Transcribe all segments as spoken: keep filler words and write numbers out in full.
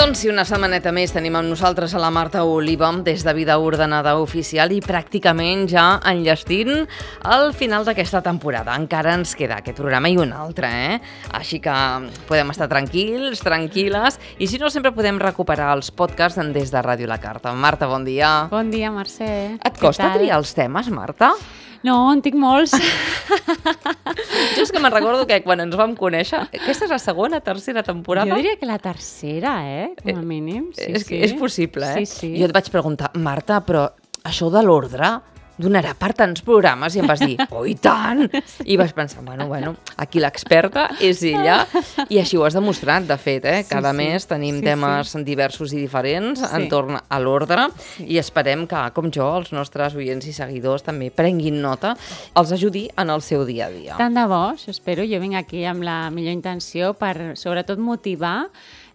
Doncs si una setmaneta més tenim amb nosaltres a la Marta Oliva des de Vida Ordenada Oficial i pràcticament ja enllestint el final d'aquesta temporada. Encara ens queda aquest programa i un altre, eh? Així que podem estar tranquils, tranquil·les, i si no sempre podem recuperar els podcasts des de Ràdio La Carta. Marta, bon dia. Bon dia, Mercè. Et costa triar els temes, Marta? No, en tinc molts. Jo és que me'n recordo que quan ens vam conèixer, aquesta és la segona, tercera temporada? Jo diria que la tercera, eh? Com a mínim. Sí, és, sí. és possible, eh? Sí, sí. Jo et vaig preguntar, Marta, però això de l'ordre donarà per tants programes? I em vas dir, oh, i tant! I vaig pensar, bueno, bueno, aquí l'experta és ella, i així ho has demostrat, de fet, eh? Cada sí, sí. mes tenim sí, temes sí. diversos i diferents sí. entorn a l'ordre, sí. i esperem que, com jo, els nostres oients i seguidors també prenguin nota, els ajudi en el seu dia a dia. Tant de bo, això espero. Jo vinc aquí amb la millor intenció per, sobretot, motivar,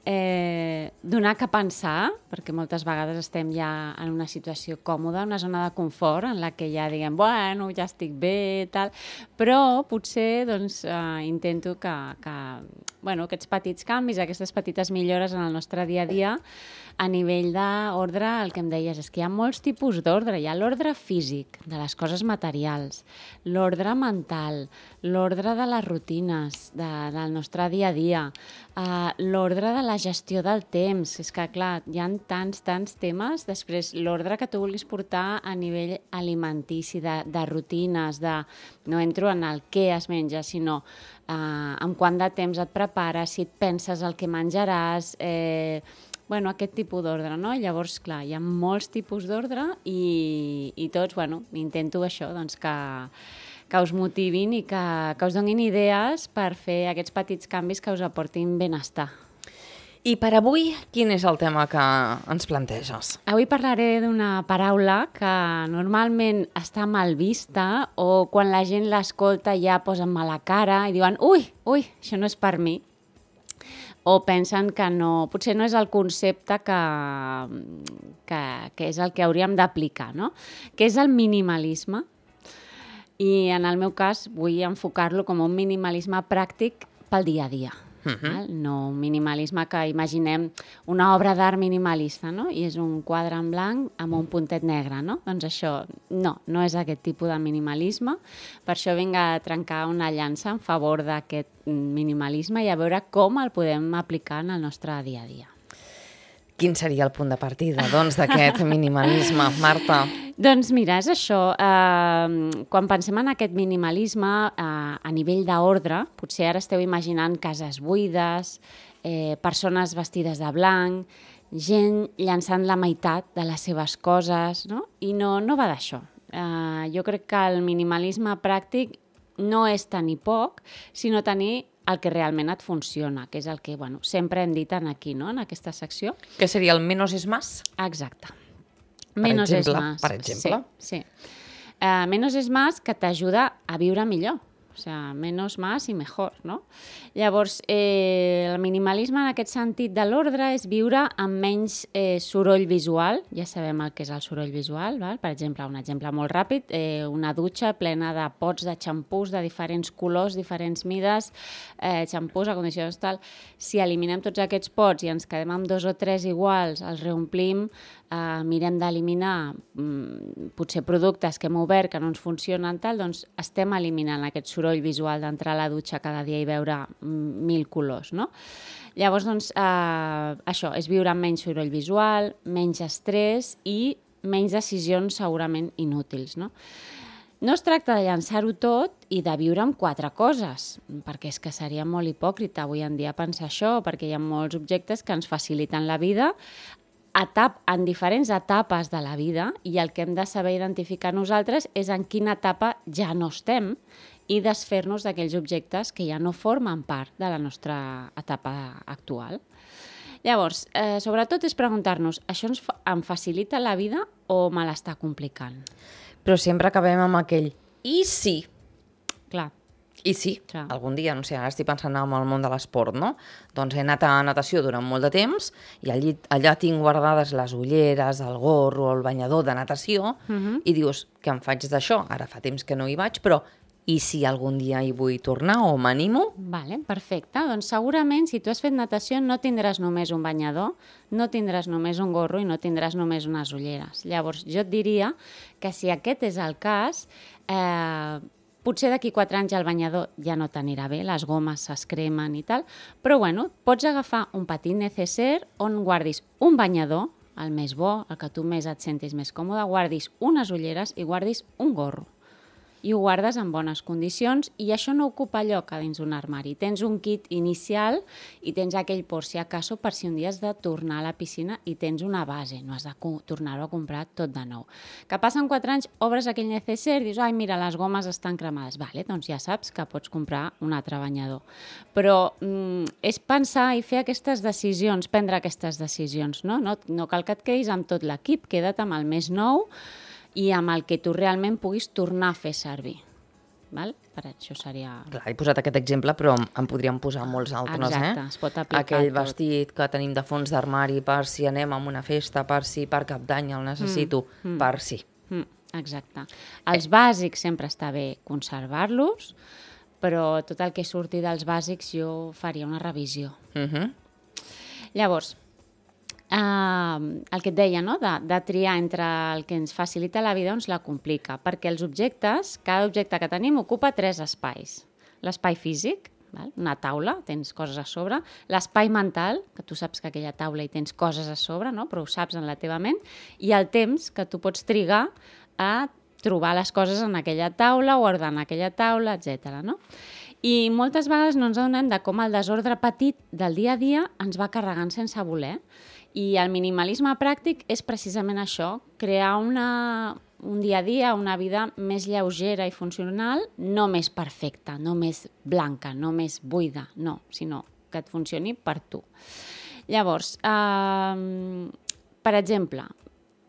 Eh, donar que pensar, perquè moltes vegades estem ja en una situació còmoda, una zona de confort en la que ja diguem, bueno, ja estic bé, tal, però potser doncs, eh, intento que, que bueno, aquests petits canvis, aquestes petites millores en el nostre dia a dia, a nivell d'ordre, el que em deies és que hi ha molts tipus d'ordre. Hi ha l'ordre físic, de les coses materials, l'ordre mental, l'ordre de les rutines de, del nostre dia a dia, uh, l'ordre de la gestió del temps. És que, clar, hi ha tants, tants temes. Després, l'ordre que tu vulguis portar a nivell alimentici, de, de rutines, de... no entro en el què es menja, sinó uh, amb quant de temps et prepares, si et penses el que menjaràs... Eh, Bueno, aquest tipus d'ordre, no? Llavors, clar, hi ha molts tipus d'ordre i, i tots, bueno, intento això, doncs que, que us motivin i que, que us donin idees per fer aquests petits canvis que us aportin benestar. I per avui, quin és el tema que ens planteges? Avui parlaré d'una paraula que normalment està mal vista o quan la gent l'escolta ja posen mala cara i diuen ui, ui, això no és per mi. O pensen que no, potser no és el concepte que, que, que és el que hauríem d'aplicar, no? Que és el minimalisme. I en el meu cas vull enfocar-lo com un minimalisme pràctic pel dia a dia. Uh-huh. No un minimalisme que imaginem una obra d'art minimalista, no? I és un quadre en blanc amb un puntet negre, no? Doncs això, no, no és aquest tipus de minimalisme. Per això vinc a trencar una llança en favor d'aquest minimalisme i a veure com el podem aplicar en el nostre dia a dia. Quin seria el punt de partida, doncs, d'aquest minimalisme, Marta? Doncs mira, és això. Eh, quan pensem en aquest minimalisme eh, a nivell d'ordre, potser ara esteu imaginant cases buides, eh, persones vestides de blanc, gent llançant la meitat de les seves coses, no? I no, no va d'això. Eh, jo crec que el minimalisme pràctic no és tenir poc, sinó tenir el que realment et funciona, que és el que bueno, sempre hem dit en aquí, no? En aquesta secció. Que seria el menos es más? Exacte. Per menos exemple, es más. per exemple? Sí, sí. Uh, menos es más que t'ajuda a viure millor. O sea, menos más i mejor, no? Llavors, eh, el minimalisme en aquest sentit de l'ordre és viure amb menys eh, soroll visual. Ja sabem el que és el soroll visual, val? Per exemple, un exemple molt ràpid, eh, una dutxa plena de pots de xampús de diferents colors, diferents mides, eh, xampús, acondicionadors, tal. Si eliminem tots aquests pots i ens quedem amb dos o tres iguals, els reomplim, eh, mirem d'eliminar mm, potser productes que hem obert que no ens funcionen, tal, doncs estem eliminant aquest soroll visual d'entrar a la dutxa cada dia i veure mil colors, no? Llavors, doncs, eh, això, és viure amb menys soroll visual, menys estrès i menys decisions segurament inútils, no? No es tracta de llançar-ho tot i de viure amb quatre coses, perquè és que seria molt hipòcrita avui en dia pensar això, perquè hi ha molts objectes que ens faciliten la vida etap, en diferents etapes de la vida, i el que hem de saber identificar nosaltres és en quina etapa ja no estem i desfer-nos d'aquells objectes que ja no formen part de la nostra etapa actual. Llavors, eh, sobretot és preguntar-nos, això ens fa, em facilita la vida o me l'està complicant? Però sempre acabem amb aquell i sí. Clar. I sí, Clar. Algun dia, no sé, ara estic pensant en el món de l'esport, no? Doncs he anat a natació durant molt de temps i allí, allà tinc guardades les ulleres, el gorro, el banyador de natació, uh-huh. i dius, què em faig d'això? Ara fa temps que no hi vaig, però i si algun dia hi vull tornar o m'animo? Vale, perfecte. Doncs segurament si tu has fet natació no tindràs només un banyador, no tindràs només un gorro i no tindràs només unes ulleres. Llavors jo et diria que si aquest és el cas, eh, potser d'aquí quatre anys el banyador ja no t'anirà bé, les gomes s'escremen i tal, però bueno, pots agafar un petit necessaire on guardis un banyador, el més bo, el que tu més et sentis més còmode, guardis unes ulleres i guardis un gorro. I ho guardes en bones condicions i això no ocupa lloc a dins d'un armari. Tens un kit inicial i tens aquell por si acaso per si un dia has de tornar a la piscina i tens una base, no has de tornar-ho a comprar tot de nou. Que passen quatre anys, obres aquell necessaire i dius, ai, mira, les gomes estan cremades. Vale, doncs ja saps que pots comprar un altre banyador. Però mm, és pensar i fer aquestes decisions, prendre aquestes decisions, no? No, no cal que et quedis amb tot l'equip, queda't amb el més nou i amb el que tu realment puguis tornar a fer servir. Val? Per això seria... Clar, he posat aquest exemple, però en podríem posar molts altres, Exacte, eh? es pot aplicar Aquell tot. vestit que tenim de fons d'armari per si anem a una festa, per si per cap d'any el necessito, mm, mm. per si. Mm, exacte. Els bàsics sempre està bé conservar-los, però tot el que surti dels bàsics jo faria una revisió. Uh-huh. Llavors, Uh, el que et deia, no? de, de triar entre el que ens facilita la vida o ens la complica, perquè els objectes, cada objecte que tenim ocupa tres espais. L'espai físic, val? Una taula, tens coses a sobre, l'espai mental, que tu saps que aquella taula hi tens coses a sobre, no? Però ho saps en la teva ment, i el temps que tu pots trigar a trobar les coses en aquella taula o ordenar aquella taula, etcètera. No? I moltes vegades no ens adonem de com el desordre petit del dia a dia ens va carregant sense voler. I el minimalisme pràctic és precisament això, crear una, un dia a dia, una vida més lleugera i funcional, no més perfecta, no més blanca, no més buida, no, sinó que et funcioni per tu. Llavors, eh, per exemple,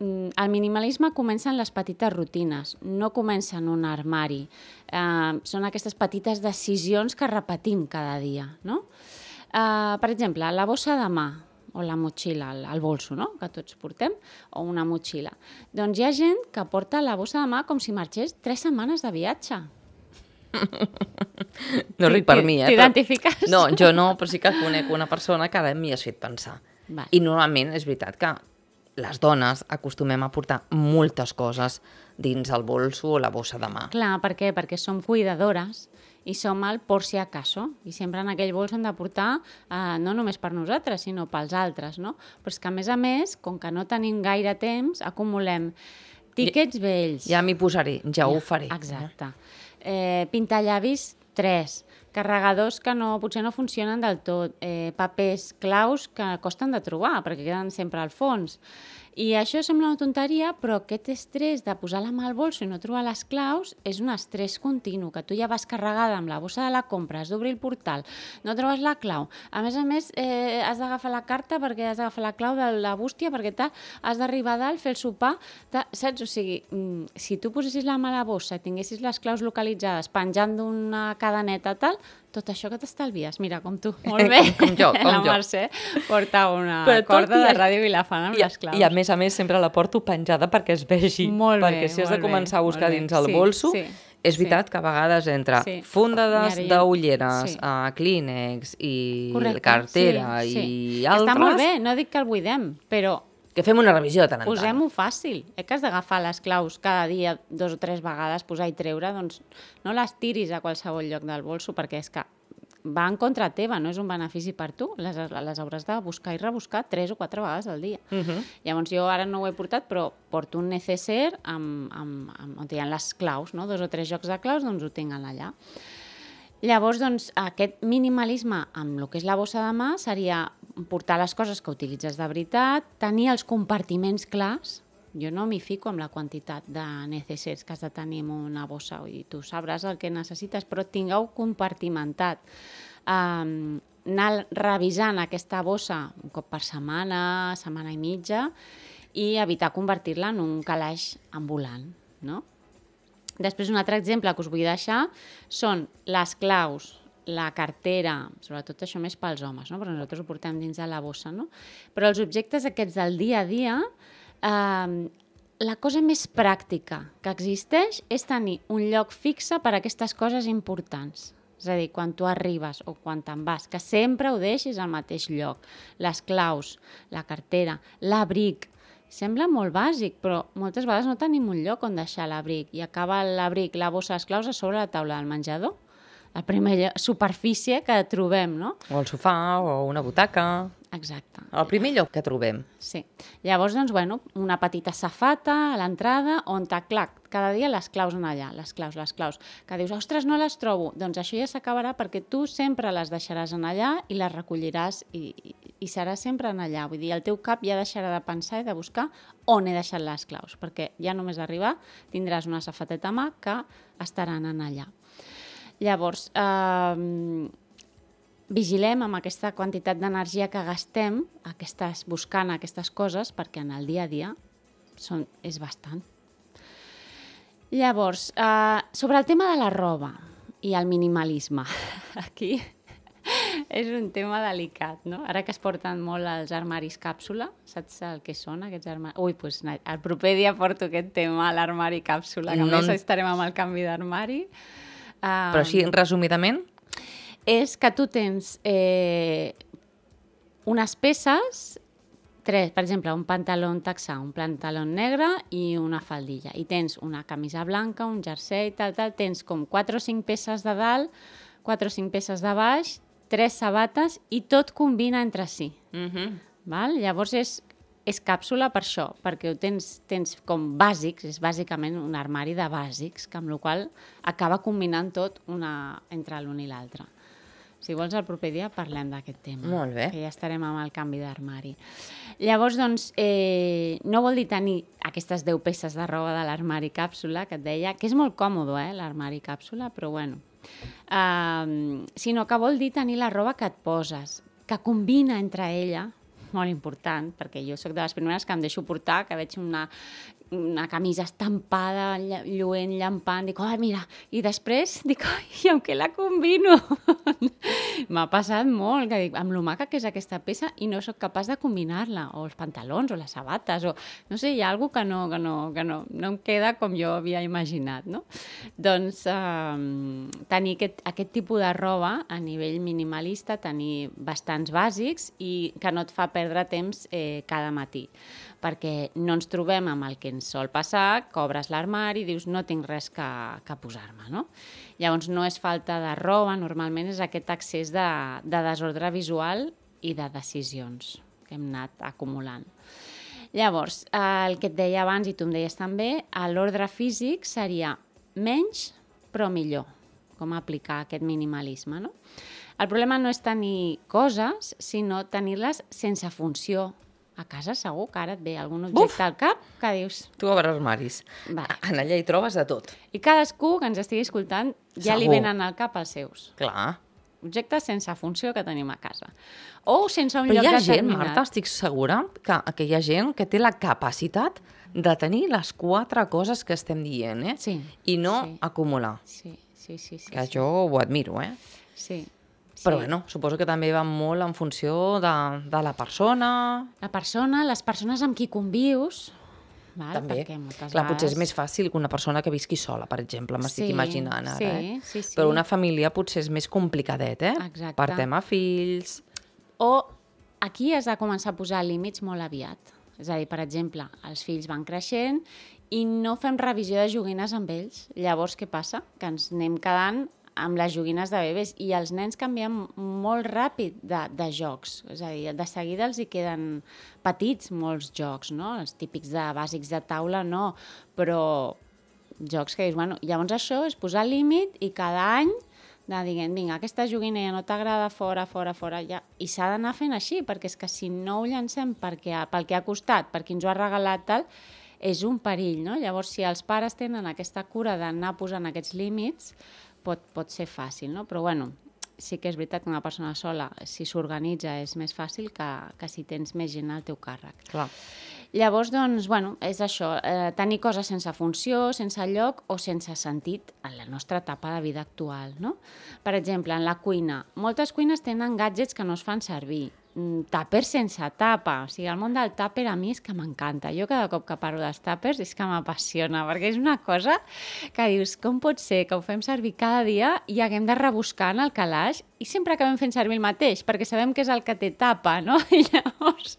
el minimalisme comença en les petites rutines, no comença en un armari. Eh, són aquestes petites decisions que repetim cada dia, no? Eh, per exemple, la bossa de mà, o la motxilla, el, el bolso, no? Que tots portem, o una motxilla. Doncs hi ha gent que porta la bossa de mà com si marxés tres setmanes de viatge. No ric per mi, eh? T'identifiques? Però... No, jo no, però sí que conec una persona que ara m'hi has fet pensar. Vale. I normalment és veritat que les dones acostumem a portar moltes coses dins el bolso o la bossa de mà. Clar, per què? Perquè som cuidadores i som el por si acaso. I sempre en aquell bols hem de portar, eh, no només per nosaltres, sinó pels altres, no? Però és que, a més a més, com que no tenim gaire temps, acumulem tíquets vells. Ja m'hi posaré, ja, ja ho faré. Exacte. Eh, pintallavis, tres. Carregadors que no, potser no funcionen del tot. Eh, papers claus que costen de trobar, perquè queden sempre al fons. I això sembla una tonteria, però aquest estrès de posar la mà al bolso i no trobar les claus és un estrès continu, que tu ja vas carregada amb la bossa de la compra, has d'obrir el portal, no trobes la clau. A més a més, eh, has d'agafar la carta perquè has d'agafar la clau de la bústia, perquè tal, has d'arribar a dalt, fer el sopar, tal, saps? O sigui, mm, si tu posessis la mà a la bossa i tinguessis les claus localitzades penjant d'una cadeneta tal, tot això que t'estalvies, mira, com tu, molt bé. Com jo, com la jo. La Mercè porta una Però corda i de ràdio Vilafant amb i, les claus. I a més a més sempre la porto penjada perquè es vegi. Molt bé, perquè si has de molt començar bé, a buscar molt bé. dins el Sí, bolso, sí, és veritat sí. que a vegades entre Sí. fundades Mira, ja- d'ulleres, sí. uh, Kleenex i Correcte, cartera sí, sí. i Que altres... està molt bé, no dic que el buidem, però Que fem una revisió de tant en tant. posem-ho fàcil. Eh, que has d'agafar les claus cada dia dos o tres vegades, posar i treure, doncs no les tiris a qualsevol lloc del bolso, perquè és que va en contra teva, no és un benefici per tu. Les, les hauràs de buscar i rebuscar tres o quatre vegades al dia. Uh -huh. Llavors jo ara no ho he portat, però porto un necessaire amb, amb, amb, on hi ha les claus, no? Dos o tres jocs de claus, doncs ho tinc allà. Llavors, doncs, aquest minimalisme amb el que és la bossa de mà seria portar les coses que utilitzes de veritat, tenir els compartiments clars. Jo no m'hi fico amb la quantitat de necessaires que has de tenir en una bossa, i tu sabràs el que necessites, però tingueu compartimentat. Um, anar revisant aquesta bossa un cop per setmana, setmana i mitja, i evitar convertir-la en un calaix ambulant, no? Després, un altre exemple que us vull deixar són les claus, la cartera, sobretot això més pels homes, no? Però nosaltres ho portem dins de la bossa, no? Però els objectes aquests del dia a dia, eh, la cosa més pràctica que existeix és tenir un lloc fixe per a aquestes coses importants. És a dir, quan tu arribes o quan te'n vas, que sempre ho deixis al mateix lloc. Les claus, la cartera, l'abric. Sembla molt bàsic, però moltes vegades no tenim un lloc on deixar l'abric i acaba l'abric, la bossa, les claus a sobre la taula del menjador. La primera superfície que trobem, no? O el sofà, o una butaca... Exacte. El primer lloc que trobem. Sí. Llavors, doncs, bueno, una petita safata a l'entrada on, clar, cada dia les claus en allà, les claus, les claus. Que dius, ostres, no les trobo. Doncs això ja s'acabarà perquè tu sempre les deixaràs en allà i les recolliràs i, i, i serà sempre en allà. Vull dir, el teu cap ja deixarà de pensar i de buscar on he deixat les claus, perquè ja només arribar tindràs una safateta a mà que estaran en allà. Llavors, eh, vigilem amb aquesta quantitat d'energia que gastem aquestes, buscant aquestes coses, perquè en el dia a dia són, és bastant. Llavors, eh, sobre el tema de la roba i el minimalisme, aquí és un tema delicat, no? Ara que es porten molt els armaris càpsula, saps el que són aquests armaris? Ui, doncs el proper dia porto aquest tema, l'armari càpsula, que no... a més estarem amb el canvi d'armari. Um, Però així, resumidament... És que tu tens eh, unes peces, tres, per exemple, un pantaló texà, un pantaló negre i una faldilla. I tens una camisa blanca, un jersei, tal, tal. Tens com quatre o cinc peces de dalt, quatre o cinc peces de baix, tres sabates i tot combina entre si. Uh-huh. Val? Llavors és, és càpsula per això, perquè ho tens, tens com bàsics, és bàsicament un armari de bàsics, que amb la qual cosa acaba combinant tot una, entre l'un i l'altre. Si vols, el proper dia parlem d'aquest tema. Molt bé. Que ja estarem amb el canvi d'armari. Llavors, doncs, eh, no vol dir tenir aquestes deu peces de roba de l'armari càpsula, que et deia, que és molt còmode, eh, l'armari càpsula, però bueno. Uh, sinó que vol dir tenir la roba que et poses, que combina entre ella, molt important, perquè jo sóc de les primeres que em deixo portar, que veig una... una camisa estampada, lluent, llampant, dic, oh, mira, i després dic, oh, i amb què la combino? M'ha passat molt, que dic, amb lo maca que és aquesta peça i no sóc capaç de combinar-la, o els pantalons, o les sabates, o no sé, hi ha alguna cosa que no, que no, que no, no em queda com jo havia imaginat, no? Doncs eh, tenir aquest, aquest tipus de roba a nivell minimalista, tenir bastants bàsics i que no et fa perdre temps eh, cada matí, perquè no ens trobem amb el que ens sol passar, que obres l'armari i dius no tinc res que, que posar-me, no? Llavors no és falta de roba, normalment és aquest excés de, de desordre visual i de decisions que hem anat acumulant. Llavors, el que et deia abans i tu em deies també, l'ordre físic seria menys però millor, com aplicar aquest minimalisme, no? El problema no és tenir coses, sinó tenir-les sense funció. A casa segur que ara et ve algun objecte Uf! Al cap que dius... Tu obres armaris. Vale. En allà hi trobes de tot. I cadascú que ens estigui escoltant ja segur. Li venen al cap els seus. Clar. Objectes sense funció que tenim a casa. O sense un Però lloc hi ha determinat. gent, Marta, estic segura que, que hi ha gent que té la capacitat de tenir les quatre coses que estem dient, eh? Sí. I no sí. acumular. Sí, sí, sí. sí que sí. jo ho admiro, eh? Sí. Però sí. bueno, suposo que també va molt en funció de, de la persona... La persona, les persones amb qui convius... Val? També. Perquè moltes Clar, vegades... potser és més fàcil que una persona que visqui sola, per exemple, m'estic sí, imaginant ara, sí, eh? Sí, sí. Però una família potser és més complicadet, eh? Exacte. Per tema fills... O aquí has de començar a posar límits molt aviat. És a dir, per exemple, els fills van creixent i no fem revisió de joguines amb ells. Llavors, què passa? Que ens anem quedant amb les joguines de bebès i els nens canvien molt ràpid de, de jocs. És a dir, de seguida els hi queden petits molts jocs, no? Els típics de bàsics de taula, no. Però jocs que dius, bueno, llavors això és posar límit i cada any de diguem, vinga, aquesta joguina ja no t'agrada, fora, fora, fora, ja. I s'ha d'anar fent així, perquè és que si no ho llancem perquè, pel que ha costat, per qui ens ho ha regalat, tal, és un perill, no? Llavors, si els pares tenen aquesta cura d'anar posant aquests límits, pot, pot ser fàcil, no? Però, bueno, sí que és veritat que una persona sola, si s'organitza, és més fàcil que, que si tens més gent al teu càrrec. Clar. Llavors, doncs, bueno, és això, eh, tenir coses sense funció, sense lloc o sense sentit en la nostra etapa de vida actual, no? Per exemple, en la cuina. Moltes cuines tenen gadgets que no es fan servir. tàper sense tapa. O sigui, el món del tàper a mi és que m'encanta. Jo cada cop que parlo dels tàpers és que m'apassiona, perquè és una cosa que dius, com pot ser que ho fem servir cada dia i haguem de rebuscar en el calaix i sempre acabem fent servir el mateix, perquè sabem que és el que té tapa, no? I llavors...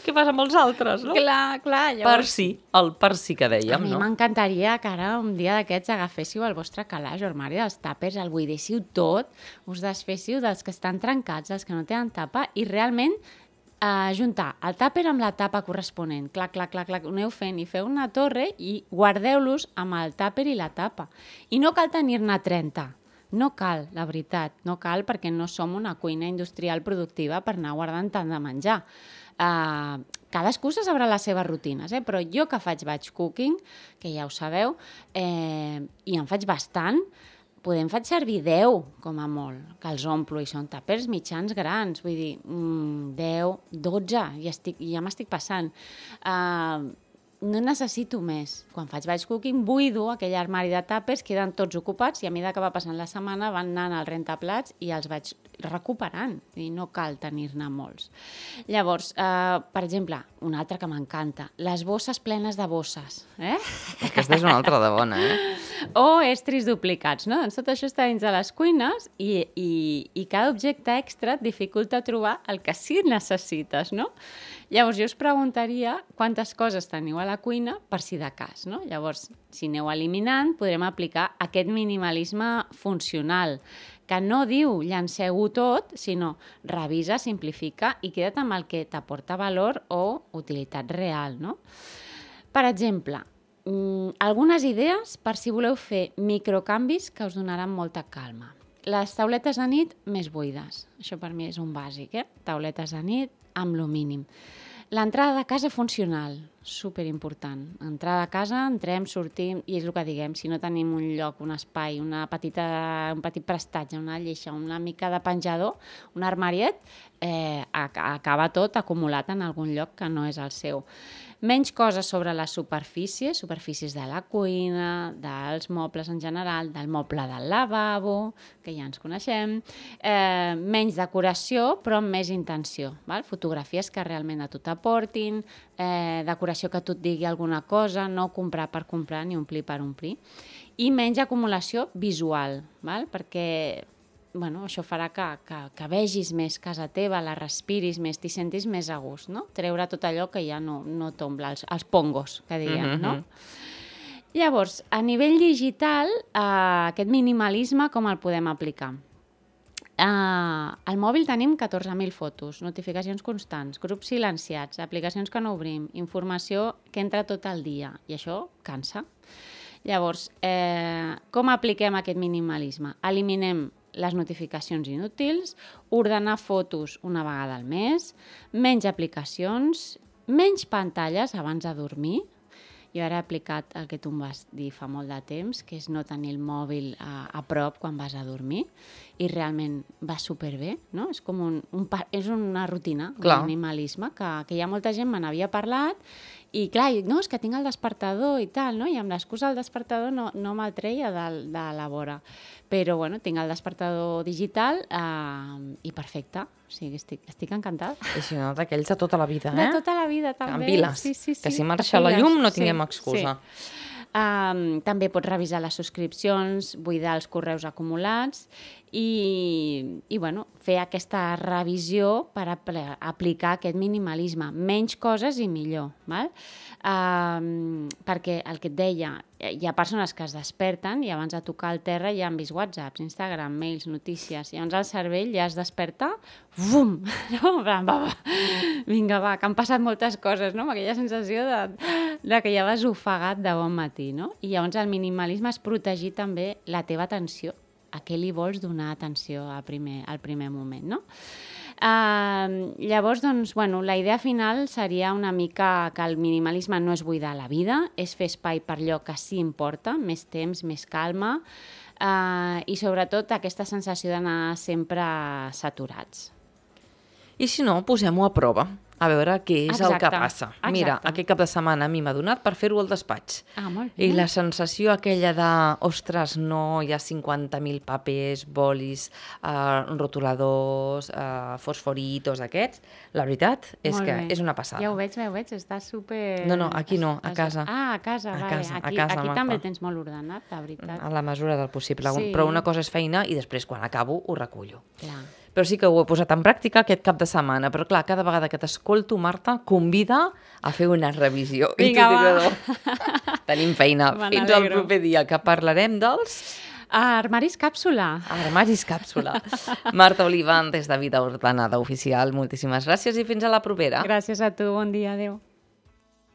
Què passa amb els altres, no? Clar, clar. Llavors... Per si, el per si que dèiem, a mi no? m'encantaria que ara un dia d'aquests agaféssiu el vostre calaix o armari dels tàpers, el buidéssiu tot, us desféssiu dels que estan trencats, dels que no tenen tapa, i realment eh, juntar el tàper amb la tapa corresponent. Clac, clac, clac, clac, ho aneu fent i feu una torre i guardeu-los amb el tàper i la tapa. I no cal tenir-ne trenta. No cal, la veritat, no cal perquè no som una cuina industrial productiva per anar guardant tant de menjar. Uh, cadascú se sabrà les seves rutines, eh? Però jo que faig batch cooking, que ja ho sabeu, eh, i en faig bastant, podem fer servir deu, com a molt, que els omplo, i són tàpers mitjans grans, vull dir, mm, deu, dotze, ja, estic, ja m'estic passant. Uh, no necessito més. Quan faig batch cooking, buido aquell armari de tàpers, queden tots ocupats i a mesura que va passant la setmana van anant al rentaplats i els vaig recuperant, i no cal tenir-ne molts. Llavors, eh, per exemple, una altra que m'encanta, les bosses plenes de bosses. Eh? Aquesta és una altra de bona, eh? O estris duplicats, no? Doncs tot això està dins de les cuines i, i, i cada objecte extra et dificulta trobar el que sí necessites, no? Llavors, jo us preguntaria quantes coses teniu a la cuina per si de cas, no? Llavors, si aneu eliminant, podrem aplicar aquest minimalisme funcional, que no diu llanceu-ho tot, sinó revisa, simplifica i queda't amb el que t'aporta valor o utilitat real, no? Per exemple, mmm, algunes idees per si voleu fer microcanvis que us donaran molta calma. Les tauletes de nit més buides. Això per mi és un bàsic, eh? Tauletes de nit amb lo mínim. L'entrada de casa funcional, superimportant. Entrada de casa, entrem, sortim, i és el que diguem, si no tenim un lloc, un espai, una petita, un petit prestatge, una lleixa, una mica de penjador, un armariet, eh, acaba tot acumulat en algun lloc que no és el seu. Menys coses sobre les superfícies, superfícies de la cuina, dels mobles en general, del moble del lavabo, que ja ens coneixem, eh, menys decoració, però amb més intenció. Val? Fotografies que realment a tu t'aportin, eh, decoració que tu et digui alguna cosa, no comprar per comprar ni omplir per omplir. I menys acumulació visual, val? Perquè bueno, això farà que, que, que vegis més casa teva, la respiris més, t'hi sentis més a gust, no? Treure tot allò que ja no, no t'ombla, els, els pongos, que diem, mm-hmm. no? Llavors, a nivell digital, eh, aquest minimalisme com el podem aplicar? Eh, al mòbil tenim catorze mil fotos, notificacions constants, grups silenciats, aplicacions que no obrim, informació que entra tot el dia, i això cansa. Llavors, eh, com apliquem aquest minimalisme? Eliminem les notificacions inútils, ordenar fotos una vegada al mes, menys aplicacions, menys pantalles abans de dormir. Jo ara he aplicat el que tu em vas dir fa molt de temps, que és no tenir el mòbil a, a prop quan vas a dormir, i realment va superbé, no? És com un, un, és una rutina, un minimalisme, que, que hi ha molta gent me n'havia parlat, i clar, no, és que tinc el despertador i tal, no? I amb l'excusa del despertador no, no me'l treia de, de la vora. Però, bueno, tinc el despertador digital eh, i perfecte. O sigui, estic, estic encantada. I si no, d'aquells de tota la vida, eh? De tota la vida, també. En piles, sí, sí, sí. que si marxa la llum no tinguem sí, excusa. Sí. Um, també pots revisar les subscripcions, buidar els correus acumulats i, i bueno, fer aquesta revisió per apl- aplicar aquest minimalisme. Menys coses i millor. Val? Um, perquè el que et deia, hi ha persones que es desperten i abans de tocar el terra ja han vist whatsapps, Instagram, mails, notícies, i llavors el cervell ja es desperta, bum! No? Va, va. Vinga, va, que han passat moltes coses, no? Amb aquella sensació de, de que ja vas ofegat de bon matí, no? I llavors el minimalisme és protegir també la teva atenció, a què li vols donar atenció al primer, al primer moment, no? Uh, llavors, doncs, bueno, la idea final seria una mica que el minimalisme no és buidar la vida, és fer espai per allò que sí importa, més temps, més calma, uh, i sobretot aquesta sensació d'anar sempre saturats. I si no, posem-ho a prova. a veure què és Exacte, el que passa. Mira, exacte. aquest cap de setmana a mi m'ha donat per fer-ho al despatx. Ah, molt bé. I la sensació aquella de, ostres, no, hi ha cinquanta mil papers, bolis, eh, rotuladors, eh, fosforitos, aquests, la veritat és Molt que bé. és una passada. Ja ho veig, ja ho veig, està super... No, no, aquí no, a casa. Ah, a casa, A vale. casa, a aquí casa, aquí Marta. també tens molt ordenat, la veritat. A la mesura del possible. Sí. Però una cosa és feina i després, quan acabo, ho recullo. Clar. Però sí que ho he posat en pràctica aquest cap de setmana. Però clar, cada vegada que t'escolto, Marta, convida a fer una revisió. Vinga, I va. no. Tenim feina. Me Fins al n'alegro. proper dia, que parlarem dels Armaris càpsula. armaris càpsula. Marta Olivan, des de Vida Ordenada Oficial, moltíssimes gràcies i fins a la propera. Gràcies a tu, bon dia, adéu.